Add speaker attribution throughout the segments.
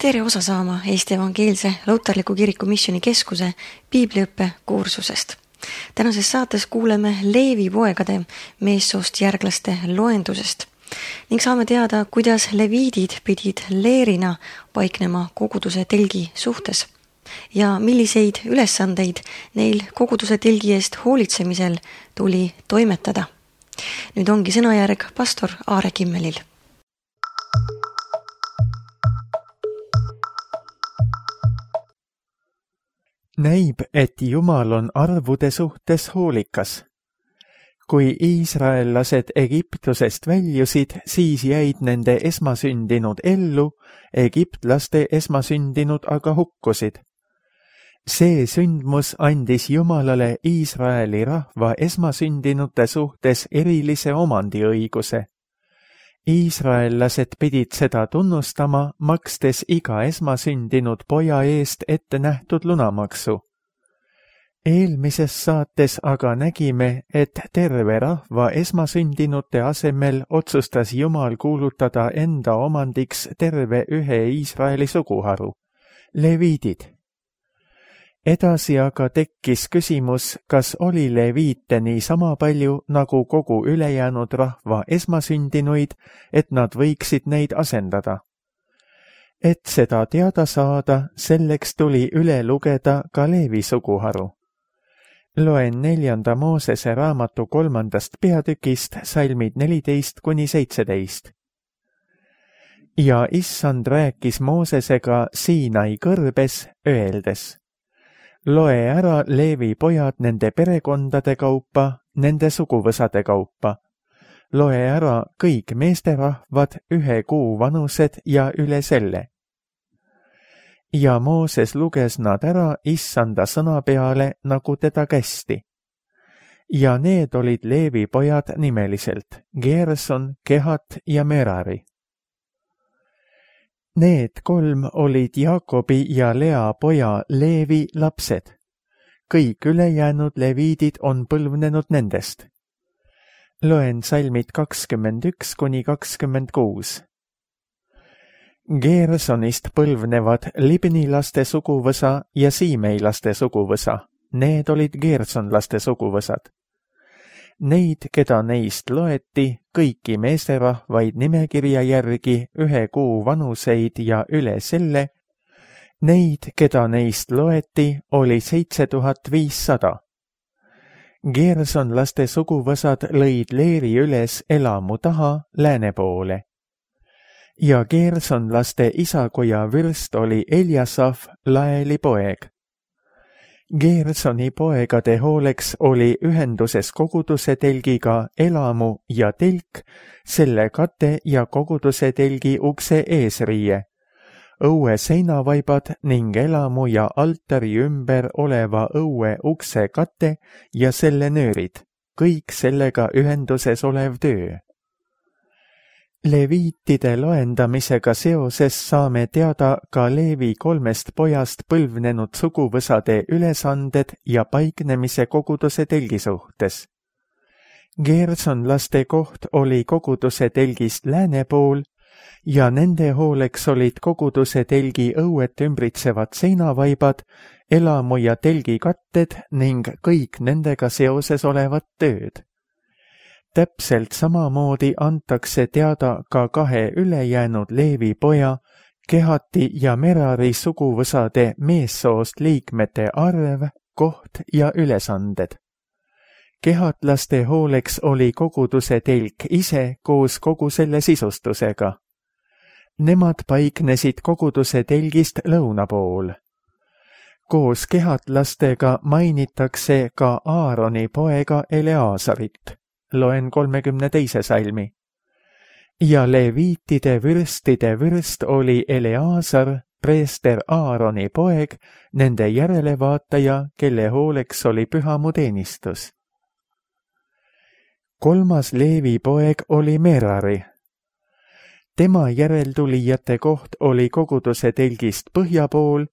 Speaker 1: Tere osa saama Eesti Evangeelse Luterliku Kiriku Missioni Keskuse piibliõppe kursusest. Tänases saates kuuleme Leevi poegade meessoost järglaste loendusest ning saame teada, kuidas leviidid pidid leerina paiknema koguduse telgi suhtes ja milliseid ülesandeid neil koguduse telgi eest hoolitsemisel tuli toimetada. Nüüd ongi sõnajärg pastor Aare Kimmelil.
Speaker 2: Näib, et Jumal on arvude suhtes hoolikas. Kui iisraellased Egiptusest väljusid, siis jäid nende esmasündinud ellu, egiptlaste esmasündinud aga hukkusid. See sündmus andis Jumalale Iisraeli rahva esmasündinute suhtes erilise omandiõiguse. Iisraellased pidid seda tunnustama, makstes iga esmasündinud poja eest ette nähtud lunamaksu. Eelmises saates aga nägime, et terve rahva esmasündinute asemel otsustas Jumal kuulutada enda omandiks terve ühe Iisraeli suguharu, leviidid. Edasi aga tekkis küsimus, kas oli leviite nii sama palju nagu kogu ülejäänud rahva esmasündinuid, et nad võiksid neid asendada. Et seda teada saada, selleks tuli üle lugeda ka Leevi suguharu. Loen 4. Moosese raamatu 3. peatükist salmid 14–17. Ja Issand rääkis Moosesega Siinai kõrbes, öeldes: Loe ära Leevi pojad nende perekondade kaupa, nende suguvõsade kaupa. Loe ära kõik meesterahvad 1 kuu vanused ja üle selle. Ja Mooses luges nad ära Issanda sõna peale, nagu teda kästi. Ja need olid Leevi pojad nimeliselt, Gerson, Kehat ja Merari. Need 3 olid Jaakobi ja Lea poja Leevi lapsed. Kõik ülejäänud leviidid on põlvnenud nendest. Loen salmid 21–26. Gersonist põlvnevad Libnilaste suguvõsa ja Siimeilaste suguvõsa. Need olid gersonlaste suguvõsad. Neid, keda neist loeti, kõiki meesterahvaid nimekirja järgi 1 kuu vanuseid ja üle selle, neid, keda neist loeti, oli 7500. Gersonlaste suguvõsad lõid leeri üles elamu taha lääne poole. Ja gersonlaste isakoja vürst oli Eljasaf, Laeli poeg. Gersoni poegade hooleks oli ühenduses koguduse telgiga elamu ja telk, selle kate ja koguduse telgi ukse eesriie, õue seinavaibad ning elamu ja altari ümber oleva õue ukse kate ja selle nöörid, kõik sellega ühenduses olev töö. Leviitide loendamisega seoses saame teada ka Leevi 3 pojast põlvnenud suguvõsade ülesanded ja paiknemise koguduse telgi suhtes. Gersonlaste koht oli koguduse telgist lääne pool ja nende hooleks olid koguduse telgi õuet ümbritsevad seinavaibad, elamu ja telgi katted ning kõik nendega seoses olevad tööd. Täpselt samamoodi antakse teada ka 2 ülejäänud Leevi poja, Kehati ja Merari suguvõsade meessoost liikmete arv, koht ja ülesanded. Kehatlaste hooleks oli koguduse telk ise koos kogu selle sisustusega. Nemad paiknesid koguduse telgist lõuna pool. Koos kehatlastega mainitakse ka Aaroni poega Eleasarit. Loen 32. salmi. Ja leviitide vürstide vürst oli Eleasar, preester Aaroni poeg, nende järelevaataja, kelle hooleks oli pühamu teenistus. 3. Leevi poeg oli Merari. Tema järeltulijate koht oli koguduse telgist põhja pool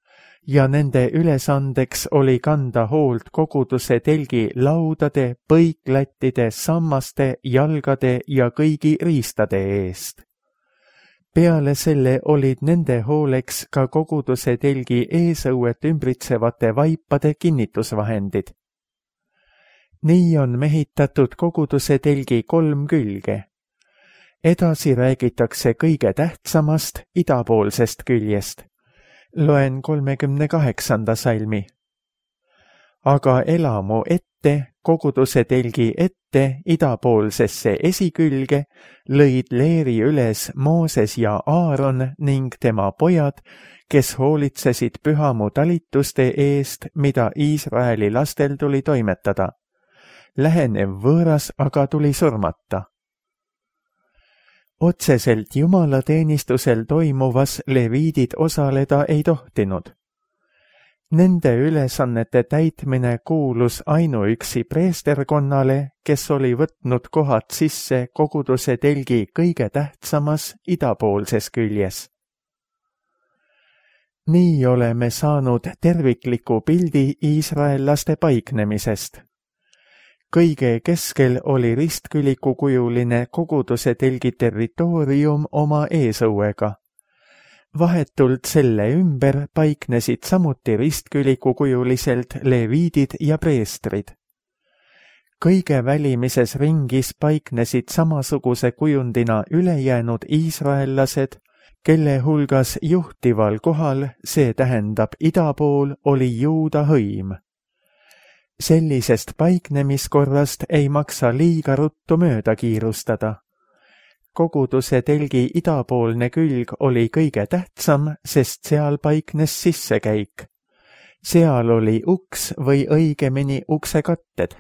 Speaker 2: ja nende ülesandeks oli kanda hoolt koguduse telgi laudade, põiklattide, sammaste, jalgade ja kõigi riistade eest. peale selle olid nende hooleks ka koguduse telgi eesõuet ümbritsevate vaipade kinnitusvahendid. Nii on mehitatud koguduse telgi 3 külge. Edasi räägitakse kõige tähtsamast idapoolsest küljest. Loen 38. salmi. Aga elamu ette, koguduse telgi ette idapoolsesse esikülge lõid leeri üles Mooses ja Aaron ning tema pojad, kes hoolitsesid pühamu talituste eest, mida Iisraeli lastel tuli toimetada. Lähenev võõras aga tuli surmata. Otseselt jumalateenistusel toimuvas leviidid osaleda ei tohtinud. Nende ülesannete täitmine kuulus ainuüksi preesterkonnale, kes oli võtnud kohad sisse koguduse telgi kõige tähtsamas idapoolses küljes. Nii oleme saanud tervikliku pildi iisraellaste paiknemisest. Kõige keskel oli ristkülikukujuline koguduse telgi territoorium oma eesõuega. Vahetult selle ümber paiknesid samuti ristkülikukujuliselt leviidid ja preestrid. Kõige välimises ringis paiknesid samasuguse kujundina ülejäänud iisraellased, kelle hulgas juhtival kohal, see tähendab ida pool, oli juuda hõim. Sellisest paiknemiskorrast ei maksa liiga ruttu mööda kiirustada. Koguduse telgi idapoolne külg oli kõige tähtsam, sest seal paiknes sissekäik. Seal oli uks või õigemini uksekatted.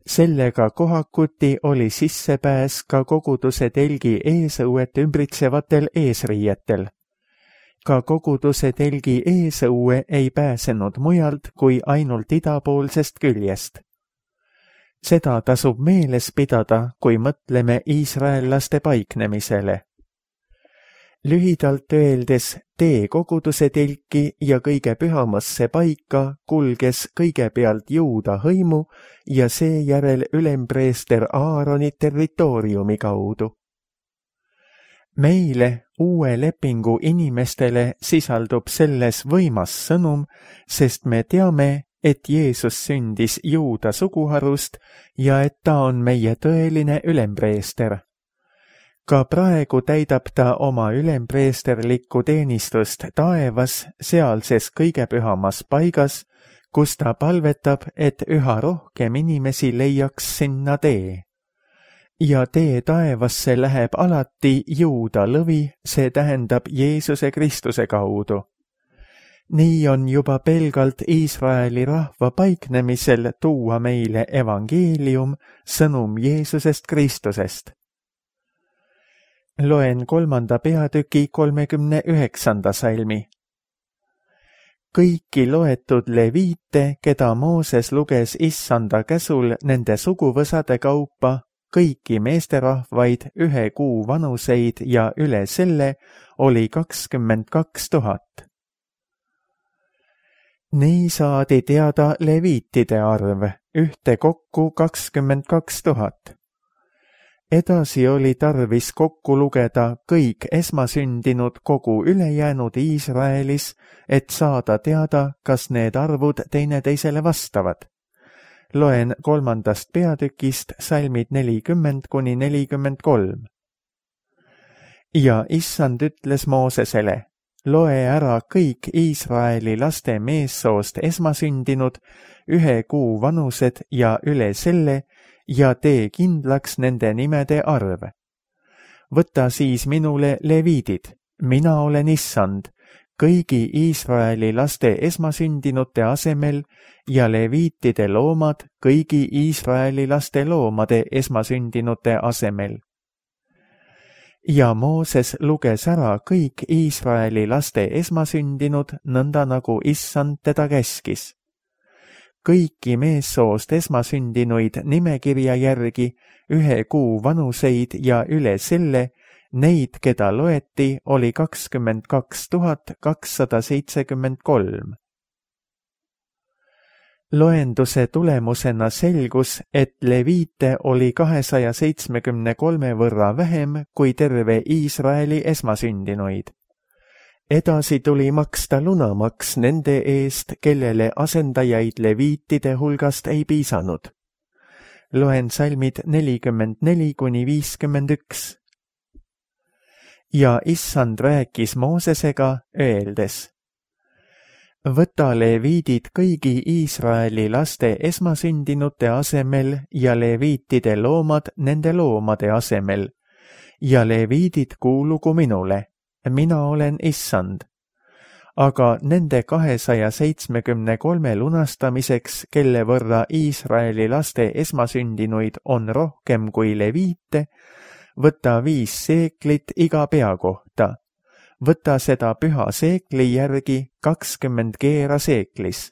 Speaker 2: Sellega kohakuti oli sissepääs ka koguduse telgi eesõuet ümbritsevatel eesriietel. Ka koguduse telgi eesõue ei pääsenud mujalt kui ainult idapoolsest küljest. Seda tasub meeles pidada, kui mõtleme iisraellaste paiknemisele. Lühidalt öeldes, tee koguduse telki ja kõige pühamasse paika kulges kõigepealt juuda hõimu ja seejärel ülempreester Aaroni territooriumi kaudu. Meile, uue lepingu inimestele, sisaldub selles võimas sõnum, sest me teame, et Jeesus sündis juuda suguharust ja et ta on meie tõeline ülempreester. Ka praegu täidab ta oma ülempreesterlikku teenistust taevas, sealses kõige pühamas paigas, kus ta palvetab, et üha rohkem inimesi leiaks sinna tee. Ja tee taevasse läheb alati juuda lõvi, see tähendab Jeesuse Kristuse kaudu. Nii on juba pelgalt Iisraeli rahva paiknemisel tuua meile evangeelium, sõnum Jeesusest Kristusest. Loen 3. peatüki 39. salmi. Kõiki loetud leviite, keda Mooses luges issanda käsul nende suguvõsade kaupa, kõiki meesterahvaid 1 kuu vanuseid ja üle selle oli 22 000. Nii saadi teada leviitide arv, ühtekokku 22 000. Edasi oli tarvis kokku lugeda kõik esmasündinud kogu ülejäänud Iisraelis, et saada teada, kas need arvud teineteisele vastavad. Loen 3. peatükist salmid 40–43. Ja issand ütles Moosesele, loe ära kõik Iisraeli laste meessoost esmasündinud, 1 kuu vanused ja üle selle, ja tee kindlaks nende nimede arv. Võta siis minule leviidid, mina olen issand, kõigi Iisraeli laste esmasündinute asemel ja leviitide loomad kõigi Iisraeli laste loomade esmasündinute asemel. Ja Mooses luges ära kõik Iisraeli laste esmasündinud, nõnda nagu issand teda käskis. Kõiki meessoost esmasündinuid nimekirja järgi, 1 kuu vanuseid ja üle selle, neid, keda loeti, oli 22 273. Loenduse tulemusena selgus, et leviite oli 273 võrra vähem kui terve Iisraeli esmasündinuid. Edasi tuli maksta lunamaks nende eest, kellele asendajaid leviitide hulgast ei piisanud. Loen salmid 44–51. Ja issand rääkis Moosesega, öeldes: võta leviidid kõigi Iisraeli laste esmasündinute asemel ja leviitide loomad nende loomade asemel ja leviidid kuulugu minule. Mina olen issand. Aga nende 273 lunastamiseks, kelle võrra Iisraeli laste esmasündinuid on rohkem kui leviite, võta 5 seeklit iga pea kohta. Võta seda püha seekli järgi 20 keera seeklis.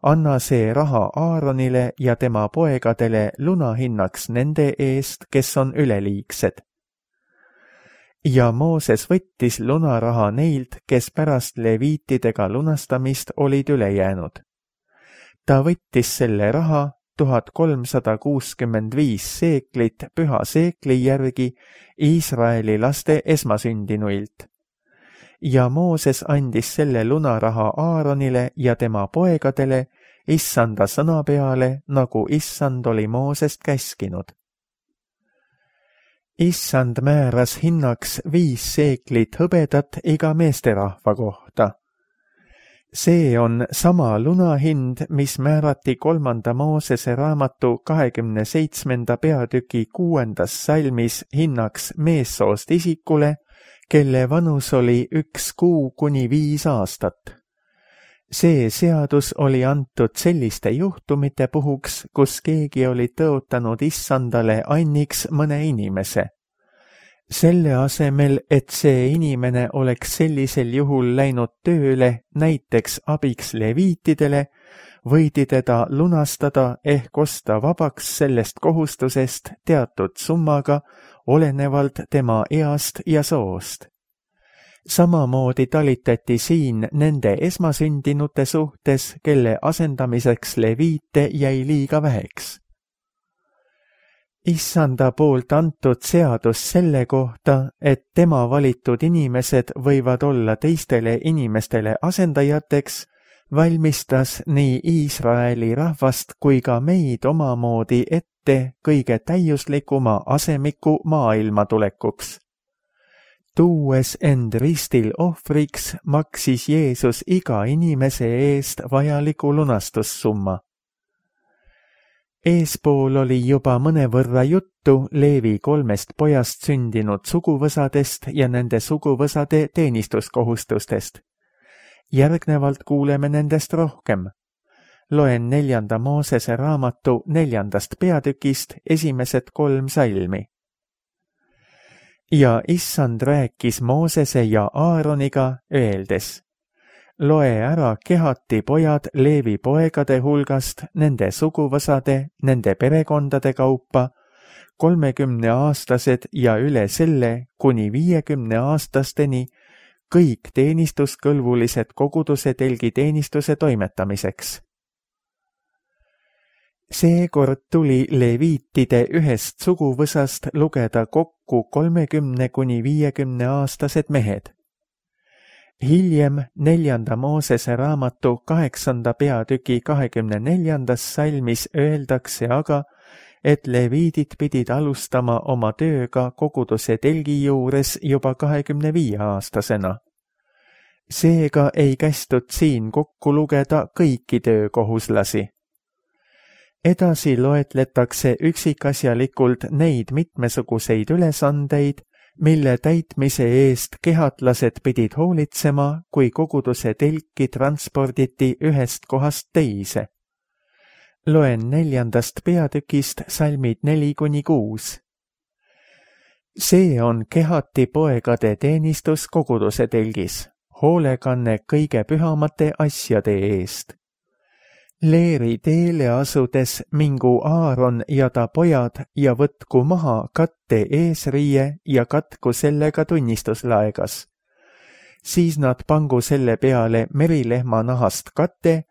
Speaker 2: Anna see raha Aaronile ja tema poegadele lunahinnaks nende eest, kes on üleliigsed. Ja Mooses võttis lunaraha neilt, kes pärast leviitidega lunastamist olid üle jäänud. Ta võttis selle raha 1365 seeklit püha seekli järgi Iisraeli laste esmasündinuilt. Ja Mooses andis selle lunaraha Aaronile ja tema poegadele issanda sõna peale, nagu issand oli Moosest käskinud. Issand määras hinnaks 5 seeklit hõbedat iga meesterahva kohta. See on sama lunahind, mis määrati 3. Moosese raamatu 27. peatüki 6. salmis hinnaks meessoost isikule, kelle vanus oli 1 kuu kuni 5 aastat. See seadus oli antud selliste juhtumite puhuks, kus keegi oli tõotanud issandale anniks mõne inimese. Selle asemel, et see inimene oleks sellisel juhul läinud tööle näiteks abiks leviitidele, võidi teda lunastada ehk osta vabaks sellest kohustusest teatud summaga, olenevalt tema east ja soost. Samamoodi talitati siin nende esmasündinute suhtes, kelle asendamiseks leviite jäi liiga väheks. Issanda poolt antud seadus selle kohta, et tema valitud inimesed võivad olla teistele inimestele asendajateks, valmistas nii Iisraeli rahvast kui ka meid omamoodi ette kõige täiuslikuma asemiku maailma tulekuks. Tuues end ristil ohvriks, maksis Jeesus iga inimese eest vajaliku lunastussumma. Eespool oli juba mõnevõrra juttu Leevi 3 pojast sündinud suguvõsadest ja nende suguvõsade teenistuskohustustest. Järgnevalt kuuleme nendest rohkem. Loen 4. Moosese raamatu 4. peatükist esimesed 3 salmi. Ja issand rääkis Moosese ja Aaroniga, öeldes: loe ära Kehati pojad Leevi poegade hulgast, nende suguvõsade, nende perekondade kaupa, 30-aastased ja üle selle kuni 50-aastasteni, kõik teenistuskõlbulised koguduse telgiteenistuse toimetamiseks. Seekord tuli leviitide ühest suguvõsast lugeda kokku 30 kuni 50-aastased mehed. Hiljem 4. Moosese raamatu 8. peatüki 24. salmis öeldakse aga, et leviidid pidid alustama oma tööga koguduse telgi juures juba 25-aastasena. Seega ei kästud siin kokku lugeda kõiki töökohuslasi. Edasi loetletakse üksikasjalikult neid mitmesuguseid ülesandeid, mille täitmise eest kehatlased pidid hoolitsema, kui koguduse telki transporditi ühest kohast teise. Loen 4. peatükist salmid 4–6. See on Kehati poegade teenistus koguduse telgis, hoolekanne kõige pühamate asjade eest. Leeri teele asudes mingu Aaron ja ta pojad ja võtku maha katte eesriie ja katku sellega tunnistuslaegas. Siis nad pangu selle peale merilehma nahast kate,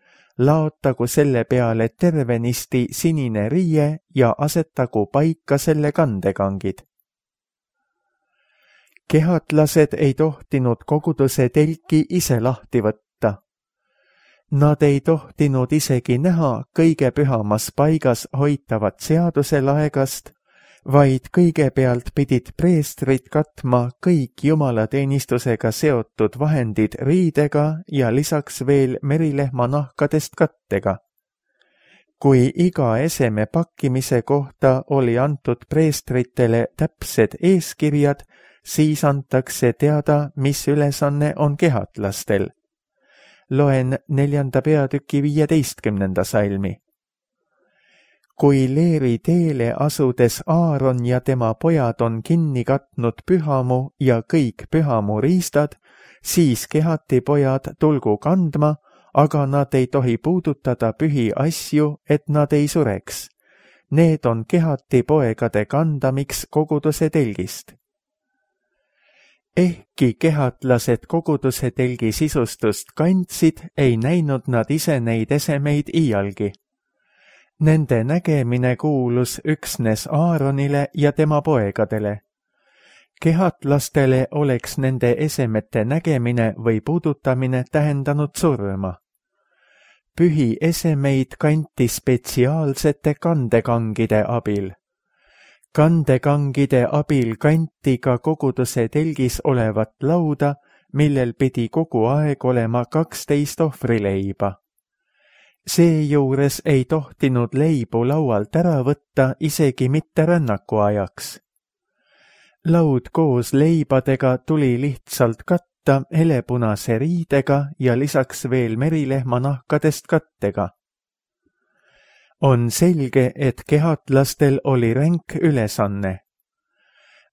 Speaker 2: laotagu selle peale tervenisti sinine riie ja asetagu paika selle kandekangid. Kehatlased ei tohtinud koguduse telki ise lahti võtta. Nad ei tohtinud isegi näha kõige pühamas paigas hoitavat seaduselaegast, vaid kõigepealt pidid preestrid katma kõik jumalateenistusega seotud vahendid riidega ja lisaks veel merilehma nahkadest kattega. Kui iga eseme pakkimise kohta oli antud preestritele täpsed eeskirjad, siis antakse teada, mis ülesanne on kehatlastel. Loen 4. peatüki 15. salmi. Kui Leevi teele asudes Aaron ja tema pojad on kinni katnud pühamu ja kõik pühamu riistad, siis kehati pojad tulgu kandma, aga nad ei tohi puudutada pühi asju, et nad ei sureks. Need on kehati poegade kandamiks koguduse telgist. Ehkki kehatlased koguduse telgi sisustust kandsid, ei näinud nad ise neid esemeid iialgi. Nende nägemine kuulus üksnes Aaronile ja tema poegadele. Kehatlastele oleks nende esemete nägemine või puudutamine tähendanud surma. Pühi esemeid kanti spetsiaalsete kandekangide abil. Kandekangide abil kanti ka koguduse telgis olevat lauda, millel pidi kogu aeg olema 12 ohvrileiba. Seejuures ei tohtinud leibu laualt ära võtta isegi mitte rännaku ajaks. Laud koos leibadega tuli lihtsalt katta helepunase riidega ja lisaks veel merilehma nahkadest kattega. On selge, et kehatlastel oli ränk ülesanne.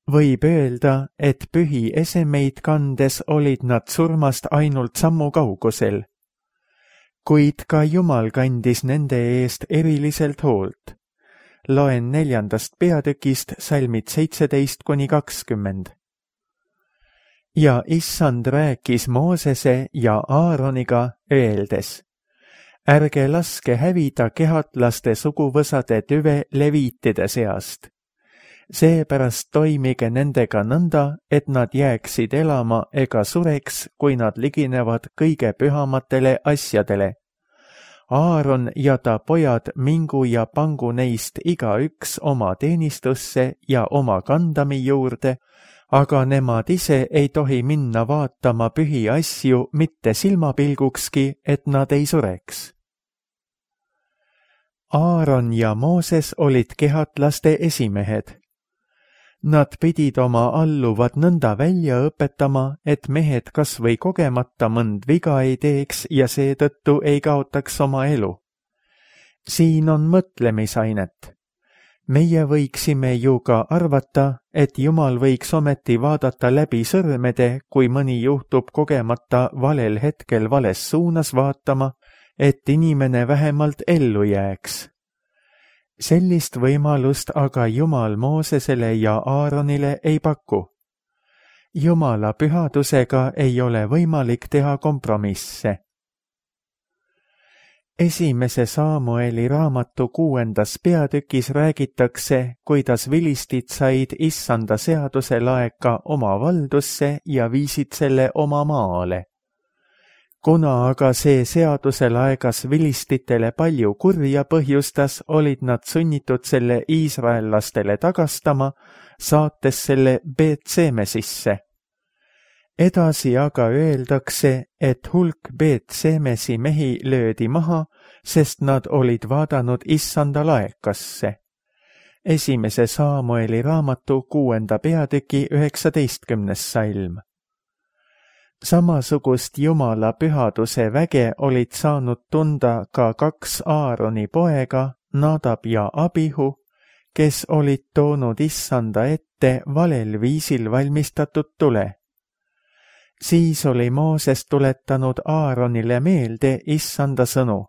Speaker 2: Võib öelda, et pühi esemeid kandes olid nad surmast ainult sammu kaugusel. Kuid ka Jumal kandis nende eest eriliselt hoolt. Loen 4. peatükist salmid 17–20. Ja issand rääkis Moosese ja Aaroniga öeldes: ärge laske hävida kehatlaste suguvõsade tüve leviitide seast. Seepärast toimige nendega nõnda, et nad jääksid elama ega sureks, kui nad liginevad kõige pühamatele asjadele. Aaron ja ta pojad mingu ja pangu neist igaüks oma teenistusse ja oma kandami juurde, aga nemad ise ei tohi minna vaatama pühi asju mitte silmapilgukski, et nad ei sureks. Aaron ja Mooses olid kehatlaste esimehed. Nad pidid oma alluvad nõnda välja õpetama, et mehed kas või kogemata mõnd viga ei teeks ja seetõttu ei kaotaks oma elu. Siin on mõtlemisainet. Meie võiksime ju ka arvata, et Jumal võiks ometi vaadata läbi sõrmede, kui mõni juhtub kogemata valel hetkel vales suunas vaatama, et inimene vähemalt ellu jääks. Sellist võimalust aga Jumal Moosesele ja Aaronile ei paku. Jumala pühadusega ei ole võimalik teha kompromisse. 1. Saamueli raamatu 6. peatükis räägitakse, kuidas vilistid said issanda seaduse laeka oma valdusse ja viisid selle oma maale. Kuna aga see seaduselaegas vilistitele palju kurja põhjustas, olid nad sunnitud selle iisraellastele tagastama, saates selle Beet-Semesisse. Edasi aga öeldakse, et hulk Beet-Semesi mehi löödi maha, sest nad olid vaadanud issanda laekasse. 1. Saamueli raamatu 6. peatüki 19. salm. Samasugust Jumala pühaduse väge olid saanud tunda ka 2 Aaroni poega, Nadab ja Abihu, kes olid toonud issanda ette valel viisil valmistatud tule. Siis oli Mooses tuletanud Aaronile meelde issanda sõnu.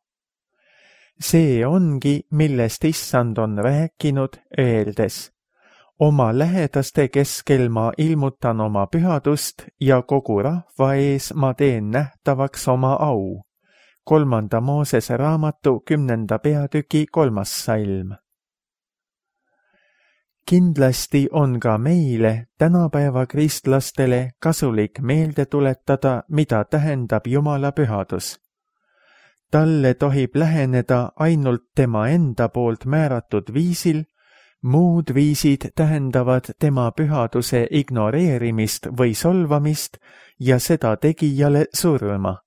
Speaker 2: See ongi, millest issand on rääkinud, öeldes: oma lähedaste keskel ma ilmutan oma pühadust ja kogu rahva ees ma teen nähtavaks oma au. 3. Moosese raamatu 10. peatüki 3. salm. Kindlasti on ka meile, tänapäeva kristlastele, kasulik meelde tuletada, mida tähendab Jumala pühadus. Talle tohib läheneda ainult tema enda poolt määratud viisil, muud viisid tähendavad tema pühaduse ignoreerimist või solvamist ja seda tegijale surma.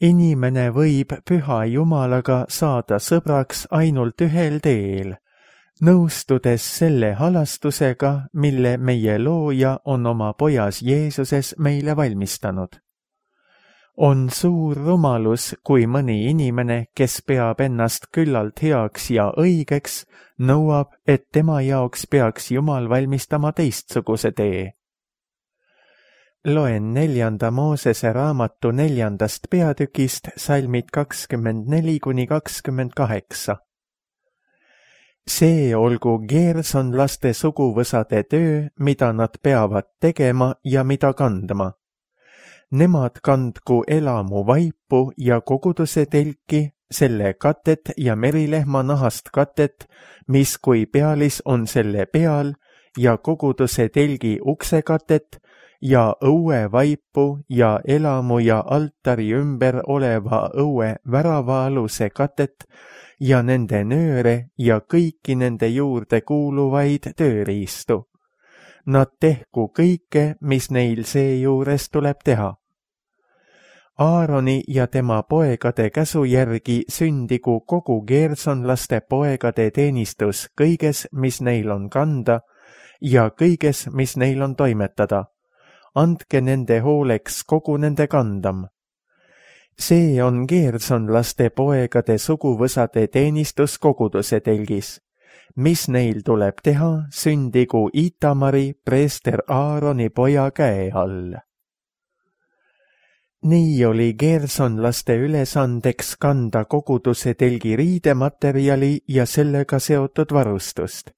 Speaker 2: Inimene võib püha Jumalaga saada sõbraks ainult ühel teel, nõustudes selle halastusega, mille meie looja on oma pojas Jeesuses meile valmistanud. On suur rumalus, kui mõni inimene, kes peab ennast küllalt heaks ja õigeks, nõuab, et tema jaoks peaks Jumal valmistama teistsuguse tee. Loen 4. Moosese raamatu 4. peatükist salmid 24–28. See olgu geersonlaste suguvõsade töö, mida nad peavad tegema ja mida kandma. Nemad kandku elamu vaipu ja koguduse telki, selle katet ja merilehma nahast katet, mis kui pealis on selle peal, ja koguduse telgi uksekatet ja õue vaipu ja elamu ja altari ümber oleva õue väravaaluse katet ja nende nööre ja kõiki nende juurde kuuluvaid tööriistu. Nad tehku kõike, mis neil seejuures tuleb teha. Aaroni ja tema poegade käsu järgi sündigu kogu geersonlaste poegade teenistus kõiges, mis neil on kanda ja kõiges, mis neil on toimetada. Andke nende hooleks kogu nende kandam. See on geersonlaste poegade suguvõsade teenistus koguduse telgis. Mis neil tuleb teha, sündigu Itamari, preester Aaroni poja käe all. Nii oli geersonlaste ülesandeks kanda koguduse telgi riidematerjali ja sellega seotud varustust.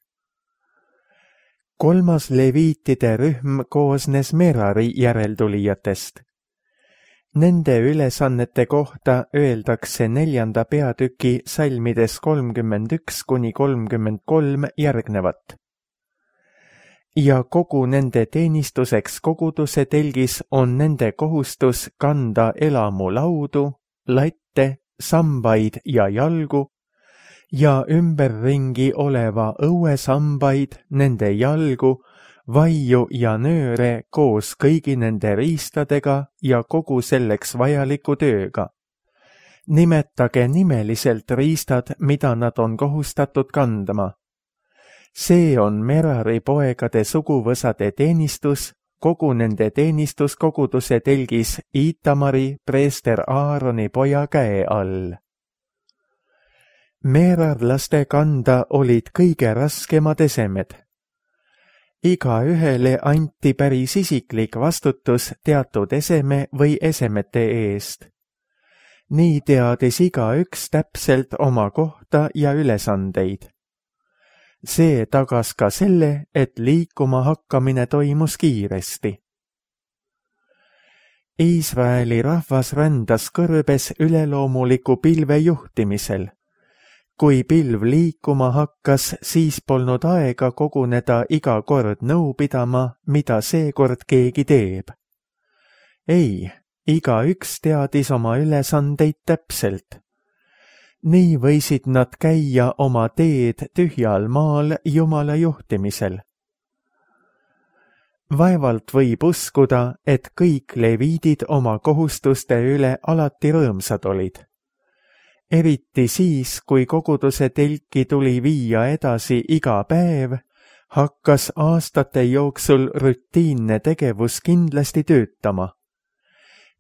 Speaker 2: 3. leviitide rühm koosnes Merari järeltulijatest. Nende ülesannete kohta öeldakse 4. peatüki salmides 31–33 järgnevat. Ja kogu nende teenistuseks koguduse telgis on nende kohustus kanda elamu laudu, latte, sambaid ja jalgu ja ümberringi oleva õuesambaid, nende jalgu, vaiu ja nööre koos kõigi nende riistadega ja kogu selleks vajaliku tööga. Nimetage nimeliselt riistad, mida nad on kohustatud kandma. See on Merari poegade suguvõsade teenistus, kogu nende teenistus koguduse telgis Itamari, preester Aaroni poja käe all. Merarlaste kanda olid kõige raskemad esemed. Igaühele anti päris isiklik vastutus teatud eseme või esemete eest. Nii teadis igaüks täpselt oma kohta ja ülesandeid. See tagas ka selle, et liikuma hakkamine toimus kiiresti. Iisraeli rahvas rändas kõrbes üleloomuliku pilve juhtimisel. Kui pilv liikuma hakkas, siis polnud aega koguneda iga kord nõu pidama, mida seekord keegi teeb. Ei, igaüks teadis oma ülesandeid täpselt. Nii võisid nad käia oma teed tühjal maal Jumala juhtimisel. Vaevalt võib uskuda, et kõik leviidid oma kohustuste üle alati rõõmsad olid. Eriti siis, kui koguduse telki tuli viia edasi iga päev, hakkas aastate jooksul rutiinne tegevus kindlasti töötama.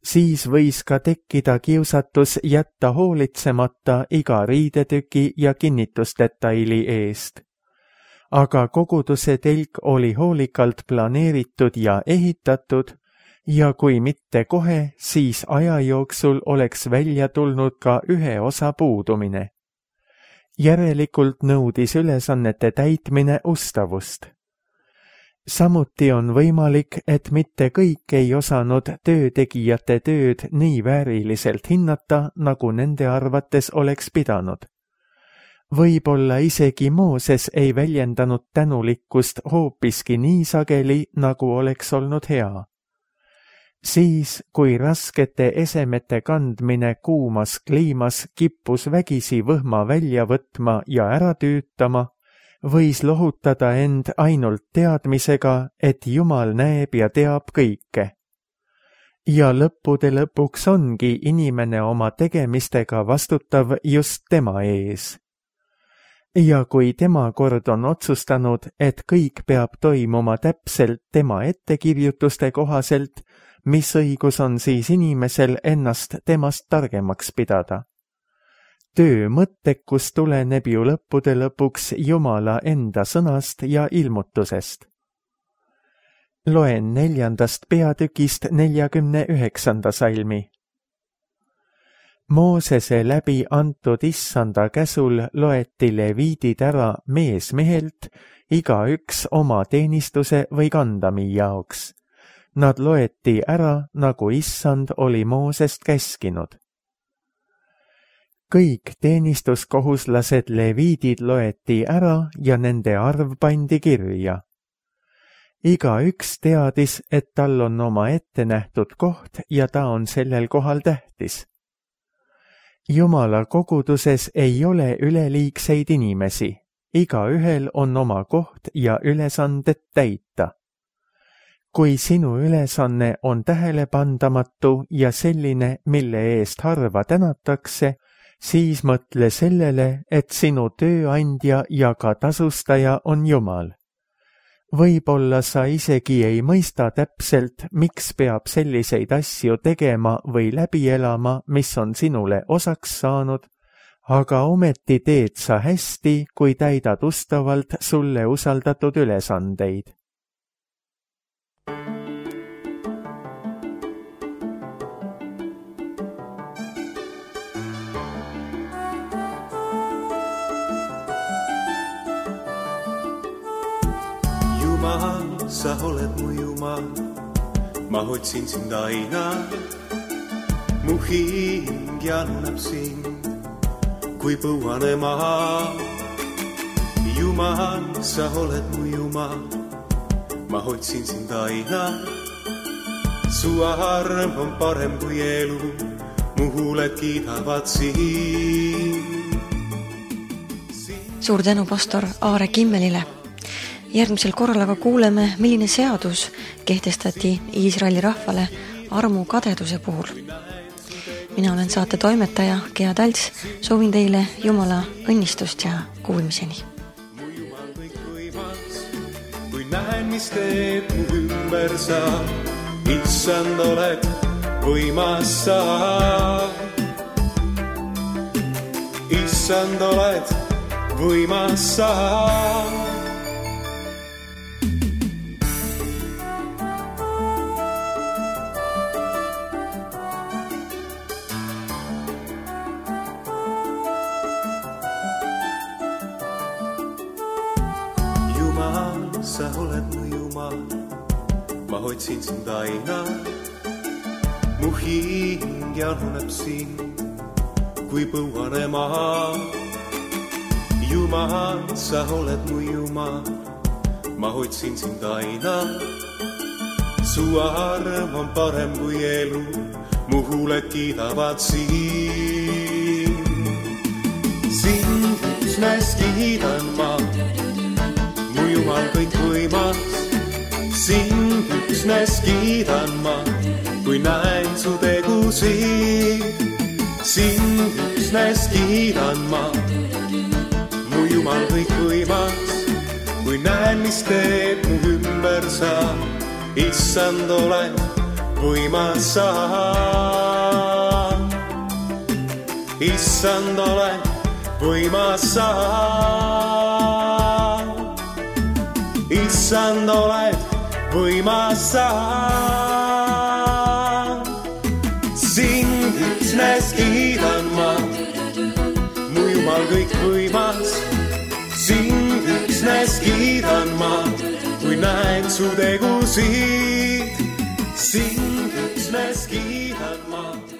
Speaker 2: Siis võis ka tekkida kiusatus jätta hoolitsemata iga riidetüki ja kinnitusdetaili eest. Aga koguduse telk oli hoolikalt planeeritud ja ehitatud ja kui mitte kohe, siis aja jooksul oleks välja tulnud ka ühe osa puudumine. Järelikult nõudis ülesannete täitmine ustavust. Samuti on võimalik, et mitte kõik ei osanud töötegijate tööd nii vääriliselt hinnata, nagu nende arvates oleks pidanud. Võib-olla isegi Mooses ei väljendanud tänulikkust hoopiski nii sageli, nagu oleks olnud hea. Siis, kui raskete esemete kandmine kuumas kliimas kippus vägisi võhma välja võtma ja ära tüütama, võis lohutada end ainult teadmisega, et Jumal näeb ja teab kõike. Ja lõppude lõpuks ongi inimene oma tegemistega vastutav just tema ees. Ja kui tema kord on otsustanud, et kõik peab toimuma täpselt tema ettekirjutuste kohaselt, mis õigus on siis inimesel ennast temast targemaks pidada? Töö mõttekus tuleneb ju lõppude lõpuks Jumala enda sõnast ja ilmutusest. Loen 4. peatükist 49. salmi. Moosese läbi antud issanda käsul loeti leviidid ära mees mehelt, igaüks oma teenistuse või kandami jaoks. Nad loeti ära, nagu issand oli Moosest käskinud. Kõik teenistuskohuslased leviidid loeti ära ja nende arv pandi kirja. Igaüks teadis, et tal on oma ettenähtud koht ja ta on sellel kohal tähtis. Jumala koguduses ei ole üleliigseid inimesi, igaühel on oma koht ja ülesanded täita. Kui sinu ülesanne on tähelepandamatu ja selline, mille eest harva tänatakse, siis mõtle sellele, et sinu tööandja ja ka tasustaja on Jumal. Võib-olla sa isegi ei mõista täpselt, miks peab selliseid asju tegema või läbi elama, mis on sinule osaks saanud, aga ometi teed sa hästi, kui täidad ustavalt sulle usaldatud ülesandeid.
Speaker 3: Sa oled mu Jumal, ma otsin sind aina, mu hing januneb sind, kui põuane maa. Jumal, sa oled mu Jumal, ma otsin sind aina, su arm on parem kui elu, mu huuled kiidavad sind.
Speaker 1: Suur tänu pastor Aare Kimmelile. Järgmisel korral aga kuuleme, milline seadus kehtestati Iisraeli rahvale armu kadeduse puhul. Mina olen saate toimetaja Gea Talts, soovin teile Jumala õnnistust ja kuulmiseni.
Speaker 3: Mu Jumal kõik võimas, kui näen, mis teeb mu ümber sa, issand oled võimas sa. Issand oled võimas sa. Sa oled mu Jumal, ma otsin sind aina, mu hing januneb sind, kui põuane maa. Jumal, sa oled mu Jumal, ma otsin sind aina, su arm on parem kui elu, mu huuled kiidavad sind. Sind üksnes kiidan ma, mu Jumal kõik võimas, sind üksnes kiidan ma, kui näen su tegusid. Sind üksnes kiidan ma, mu Jumal kõik võimas, kui näen, mis teeb mu ümber sa, issand oled võimas sa. Issand oled võimas sa. Issand oled võimas sa. Sind üksnes kiidan ma, mu Jumal kõik võimas. Sind üksnes kiidan ma, kui näen su tegusid, sind üksnes kiidan ma.